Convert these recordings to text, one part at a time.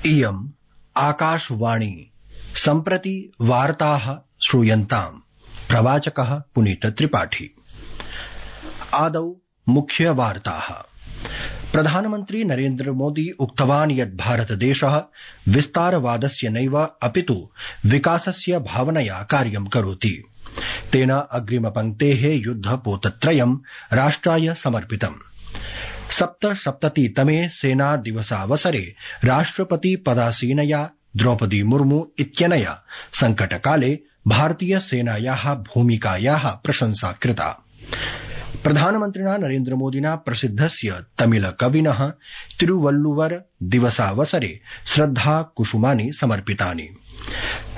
इयम् आकाशवाणी सम्प्रति वार्ताः श्रूयन्ताम्। प्रवाचकः पुनीत त्रिपाठी। आदौ मुख्य वार्ताः। प्रधानमन्त्री नरेन्द्र मोदी उक्तवान् यत् भारतदेशः विस्तारवादस्य नैव अपितु विकासस्य भावनया कार्यं करोति। तेन अग्रिमपङ्क्तेः युद्धपोतत्रयं राष्ट्राय समर्पितम्। 77तमे सेना दिवसावसरे राष्ट्रपति पदासीनया द्रौपदी मुर्मू इत्यनया संकटकाले भारतीय सेनायाः भूमिकायाः प्रशंसा कृता। प्रधानमन्त्रिणा नरेन्द्र मोदिना प्रसिद्धस्य तमिल कविनः तिरुवल्लुवर दिवसावसरे श्रद्धा कुसुमानि समर्पितानि।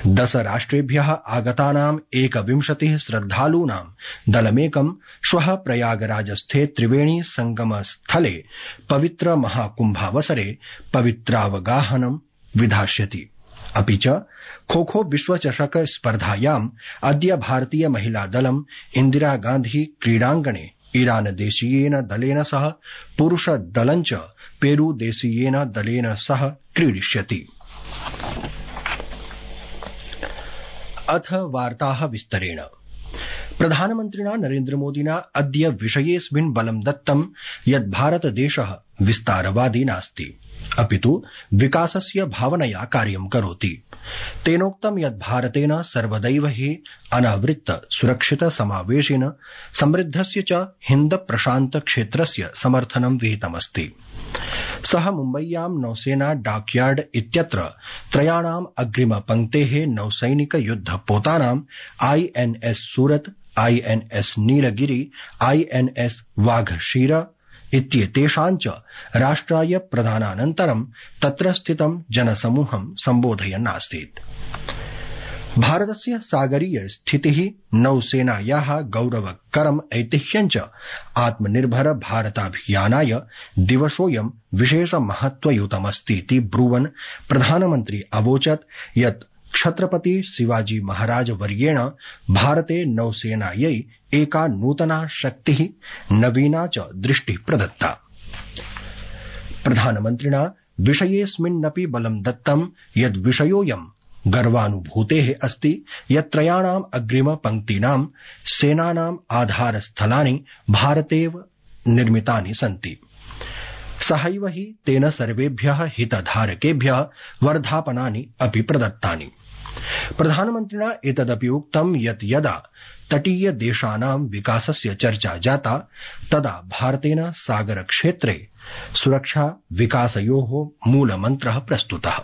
10 राष्ट्रेभ्यः आगतानाम् 21 श्रद्धालूनां दलमेकं श्वः प्रयागराजस्थे त्रिवेणी संगमस्थले पवित्र महाकुम्भावसरे पवित्रावगाहनं विधास्यति। अपि च खो-खो विश्वचषक स्पर्धायाम् अद्य भारतीय महिला दलम् इन्दिरा गान्धी क्रीडाङ्गणे ईरान देशीयेन दलेन सह पुरुष दलं च पेरू देशीयेन दलेन सह क्रीडिष्यति। अथ वार्ताः विस्तरेण। प्रधानमन्त्रिणा नरेन्द्र मोदिना अद्य विषयेऽस्मिन् बलं दत्तं यत् भारतदेशः विस्तारवादी नास्ति, अपितु विकासस्य भावनया कार्यं करोति। तेनोक्तं यत् भारतेन सर्वदैव हि अनावृत्त सुरक्षित समावेशिन समृद्धस्य च हिन्द प्रशान्त क्षेत्रस्य समर्थनं विहितमस्ति। सः मुम्बय्यां नौसेना डाकयार्ड इत्यत्र त्रयाणाम् अग्रिमपङ्क्तेः नौसैनिक युद्धपोतानां INS Surat, INS Nilgiri, INS Vaghsheer इत्येतेषां च राष्ट्राय प्रदानानन्तरं तत्र स्थितं जनसमूहं सम्बोधयन् आसीत्। भारतस्य सागरीय स्थितिः, नौसेनायाः गौरवकरम् ऐतिह्यं च आत्मनिर्भर भारताभियानाय दिवसोऽयं विशेष महत्वयुतमस्तीति ब्रुवन् प्रधानमन्त्री अवोचत् यत् छत्रपति शिवाजी महाराज वर्येण भारते नौसेनायै एका नूतना शक्तिः, नवीना च दृष्टिः प्रदत्ता। प्रधानमन्त्रिणा विषयेऽस्मिन्नपि बलं दत्तं यद् विषयोऽयं गर्वानुभूतेः अस्ति यत् त्रयाणाम् अग्रिमपङ्क्तीनां सेनानाम् आधारस्थलानि भारतेव निर्मितानि सन्ति। सहैव हि तेन सर्वेभ्यः हितधारकेभ्यः वर्धापनानि अपि प्रदत्तानि। प्रधानमन्त्रिणा एतदपि उक्तं यत् यदा तटीय देशानां विकासस्य चर्चा जाता तदा भारतेन सागरक्षेत्रे सुरक्षा विकासयोः मूलमन्त्रः प्रस्तुतः।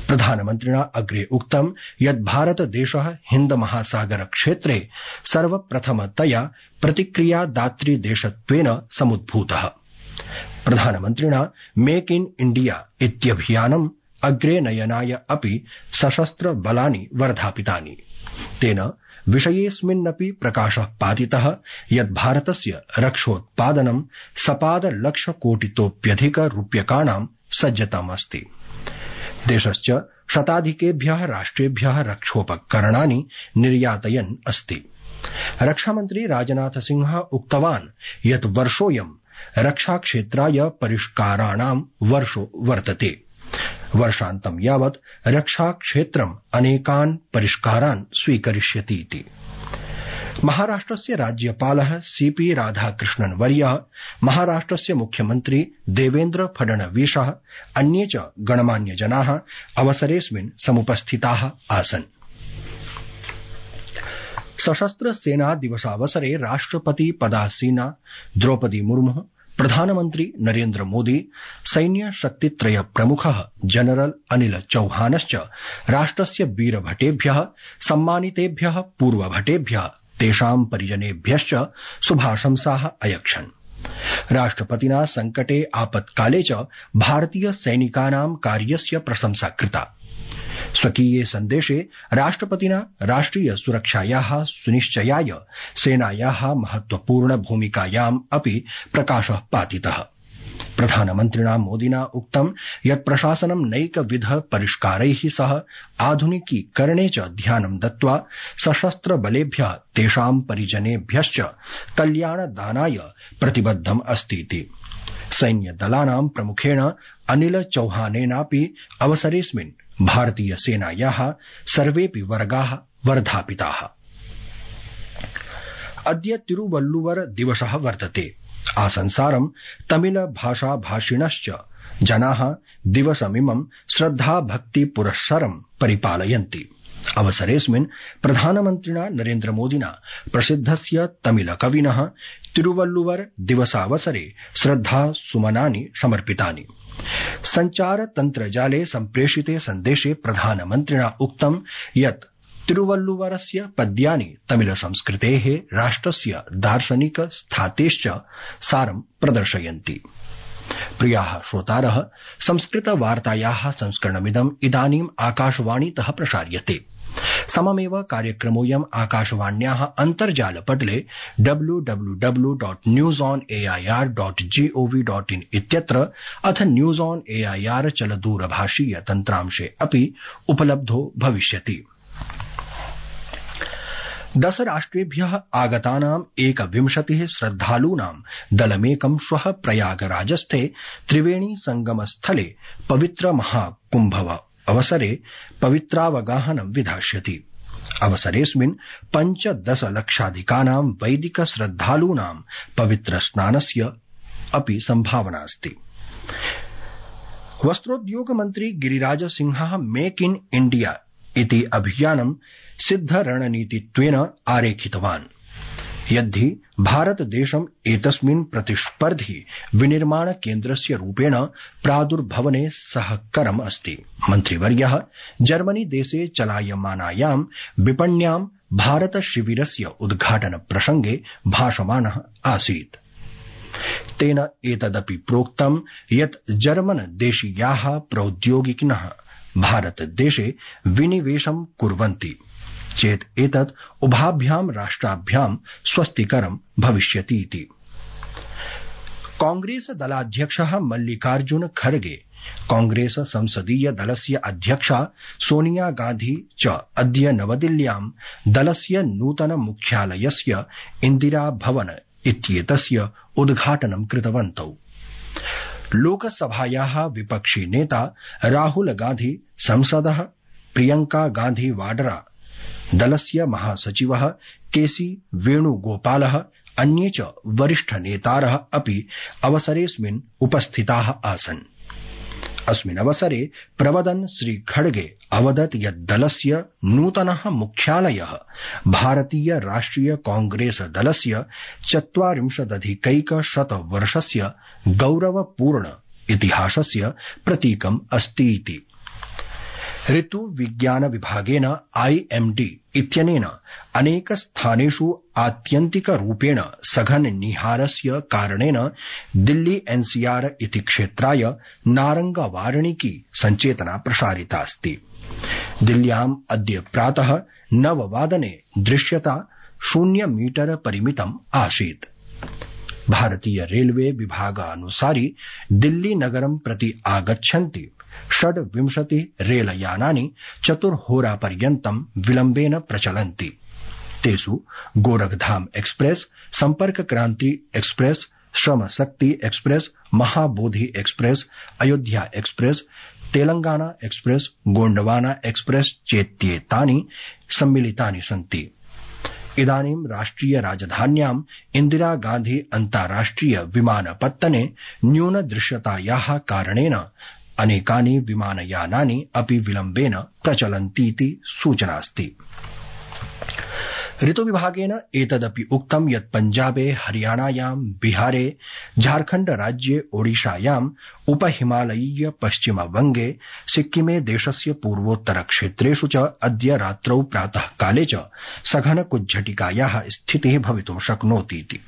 प्रधानमन्त्रिणा अग्रे उक्तं यत् भारतदेशः हिन्द महासागर क्षेत्रे सर्वप्रथमतया प्रतिक्रियादातृदेशत्वेन समुद्भूतः। प्रधानमन्त्रिणा मेक इन इण्डिया इत्यभियानम् अग्रे नयनाय अपि सशस्त्र बलानि वर्धापितानि। तेन विषयेऽस्मिन्नपि प्रकाशः पातितः यत् भारतस्य रक्षोत्पादनं सपादलक्षकोटितोऽप्यधिक रूप्यकाणां सज्जतमस्ति। देशश्च शताधिकेभ्यः राष्ट्रेभ्यः रक्षोपकरणानि निर्यातयन् अस्ति। रक्षामन्त्री राजनाथ सिंह उक्तवान् यत् वर्षोऽयं रक्षाक्षेत्राय परिष्काराणां वर्षो वर्तते। वर्षान्तं यावत् रक्षाक्षेत्रम् अनेकान् परिष्कारान् स्वीकरिष्यति इति। महाराष्ट्रस्य राज्यपालः CP राधाकृष्णन् वर्यः, महाराष्ट्रस्य मुख्यमन्त्री देवेन्द्र फडणवीसः, अन्ये च गणमान्यजनाः अवसरेऽस्मिन् समुपस्थिताः आसन्। सशस्त्र सेना दिवसावसरे राष्ट्रपति पदासीना द्रौपदी मुर्मुः, प्रधानमन्त्री नरेन्द्र मोदी, सैन्य शक्तित्रय प्रमुखः जनरल अनिल चौहानश्च राष्ट्रस्य वीरभटेभ्यः, सम्मानितेभ्यः पूर्वभटेभ्यः, तेषां परिजनेभ्यश्च शुभाशंसाः अयक्षन्। राष्ट्रपतिना संकटे आपत्काले च भारतीय सैनिकानां कार्यस्य प्रशंसा कृता। स्वकीये सन्देशे राष्ट्रपतिना राष्ट्रिय सुरक्षायाः सुनिश्चयाय सेनायाः महत्वपूर्ण भूमिकायाम् अपि प्रकाशः पातितः। प्रधानमन्त्रिणा मोदिना उक्तं यत् प्रशासनं नैकविध परिष्कारैः सह आधुनिकीकरणे च ध्यानं दत्त्वा सशस्त्र बलेभ्यः तेषां परिजनेभ्यश्च कल्याणदानाय प्रतिबद्धम् अस्तीति। सैन्यदलानां प्रमुखेण अनिल चौहानेनापि अवसरेऽस्मिन् भारतीय सेनायाः सर्वेऽपि वर्गाः वर्धापिताः। अद्य तिरुवल्लुवर दिवसः वर्तते। आसंसारं तमिल भाषा भाषिणश्च जनाः दिवसमिमं श्रद्धाभक्ति पुरस्सरं परिपालयन्ति। अवसरेऽस्मिन् प्रधानमन्त्रिणा नरेन्द्रमोदिना प्रसिद्धस्य तमिल कविनः तिरुवल्लुवर दिवसावसरे श्रद्धासुमनानि समर्पितानि। सञ्चारतन्त्रजाले सम्प्रेषिते सन्देशे प्रधानमन्त्रिणा उक्तं यत् तिरुवल्लुवरस्य पद्यानि तमिल संस्कृतेः राष्ट्रस्य दार्शनिक स्थातेश्च सारं प्रदर्शयन्ति। प्रियाः श्रोतारः, संस्कृतवार्तायाः संस्करणमिदम् इदानीम् आकाशवाणीतः प्रसार्यते। सममेव कार्यक्रमोऽयम् आकाशवाण्याः अन्तर्जालपटले www.newsonair.gov.in इत्यत्र अथ न्यूज ऑन एआईआर चलदूरभाषीय तन्त्रांशे अपि उपलब्धो भविष्यति। 10 राष्ट्रेभ्यः आगतानाम् 21 श्रद्धालूनां दलमेकं श्वः प्रयागराजस्थे त्रिवेणी संगमस्थले पवित्र महाकुम्भव अवसरे पवित्रावगाहनं विधास्यति। अवसरेऽस्मिन् 15 लक्षाधिकानां वैदिक श्रद्धालूनां पवित्र स्नानस्य अपि सम्भावनास्ति। वस्त्रोद्योग मन्त्री गिरिराज सिंहः मेक इन इण्डिया इति अभियानं सिद्धरणनीतित्वेन आरेखितवान्। यद्धि भारतदेशम् एतस्मिन् प्रतिस्पर्धी विनिर्माण केन्द्रस्य रूपेण प्रादुर्भवने सहकरम् अस्ति। मन्त्रिवर्यः जर्मनी देशे चलायमानायां विपण्यां भारत शिविरस्य उद्घाटन प्रसंगे भाषमाणः आसीत्। तेन एतदपि प्रोक्तं यत् जर्मन देशीयाः प्रौद्योगिकिनः भारतदेशे विनिवेशं कुर्वन्ति चेत् एतत् उभाभ्यां राष्ट्राभ्यां स्वस्तिकरं भविष्यतीति। कांग्रेस दलाध्यक्षः मल्लिकार्जुन खड़गे, कांग्रेस संसदीय दलस्य अध्यक्षा सोनिया गांधी च अद्य नवदिल्ल्यां दलस्य नूतन मुख्यालयस्य इन्दिरा भवन इत्येतस्य उद्घाटनं कृतवन्तौ। लोकसभायाः विपक्षी नेता राहुल गांधी, संसदः प्रियंका गांधी वाड्रा, दलस्य महासचिवः केसी वेणुगोपालः, अन्ये च वरिष्ठ नेतारः अपि अवसरेऽस्मिन् उपस्थिताः आसन्। अस्मिन् अवसरे प्रवदन् श्री खड़गे अवदत् यत् दलस्य नूतनः मुख्यालयः भारतीय राष्ट्रिय कांग्रेस दलस्य 40 वर्षस्य गौरवपूर्ण इतिहासस्य प्रतीकम् अस्ति इति। ऋतु विज्ञान विभागेन IMD इत्यनेन अनेक स्थानेषु आत्यन्तिक रूपेण सघन निहारस्य कारणेन दिल्ली NCR इति क्षेत्राय नारंग वार्णिकी सञ्चेतना प्रसारितास्ति। दिल्ल्याम् अद्य प्रातः 9 वादने दृश्यता 0 मीटर परिमितम् आसीत्। भारतीय रेलवे विभागानुसारि दिल्ली नगरं प्रति आगच्छन्ति 26 रेलयानानि 4 होरापर्यन्तं विलम्बेन प्रचलन्ति। तेषु गोरखधाम एक्सप्रेस, संपर्क क्रांति express, Shram Shakti express, Mahabodhi express, Ayodhya express, Telangana express, Gondwana express चेत्येतानि सम्मिलितानि सन्ति। इदानीं राष्ट्रिय राजधान्याम् इन्दिरा गांधी अन्ताराष्ट्रिय विमानपत्तने न्यून दृश्यतायाः कारणेन अनेकानि विमानयानानि अपि विलम्बेन प्रचलन्तीति सूचनास्ति। ऋतुविभागेन एतदपि उक्तं यत् पञ्जाबे, हरियाणायां, बिहारे, झारखण्ड राज्ये, ओडिशायाम्, उपहिमालयीय पश्चिमबंगे, सिक्किमे देशस्य पूर्वोत्तर क्षेत्रेषु च अद्य रात्रौ प्रातः काले च सघन कुज्झटिकायाः स्थितिः भवितुं शक्नोतीति।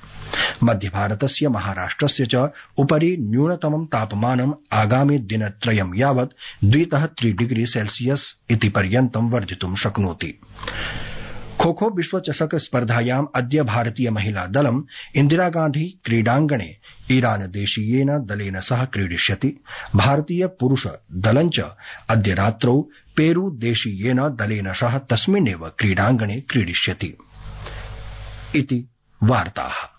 मध्य भारतस्य महाराष्ट्रस्य च उपरि न्यूनतमं तापमानम् आगामि दिनत्रयं यावत् 2-3 डिग्री सेल्सियस् इति पर्यन्तं वर्धितुं शक्नोति। खो खो विश्वचषक स्पर्धायाम् अद्य भारतीय महिला दलम् इन्दिरा गांधी क्रीडाङ्गणे ईरान देशीयेन दलेन सह क्रीडिष्यति। भारतीय पुरुष दलं च अद्य रात्रौ पेरू देशीयेन दलेन सह तस्मिन्नेव क्रीडाङ्गणे क्रीडिष्यति। इति वार्ताः।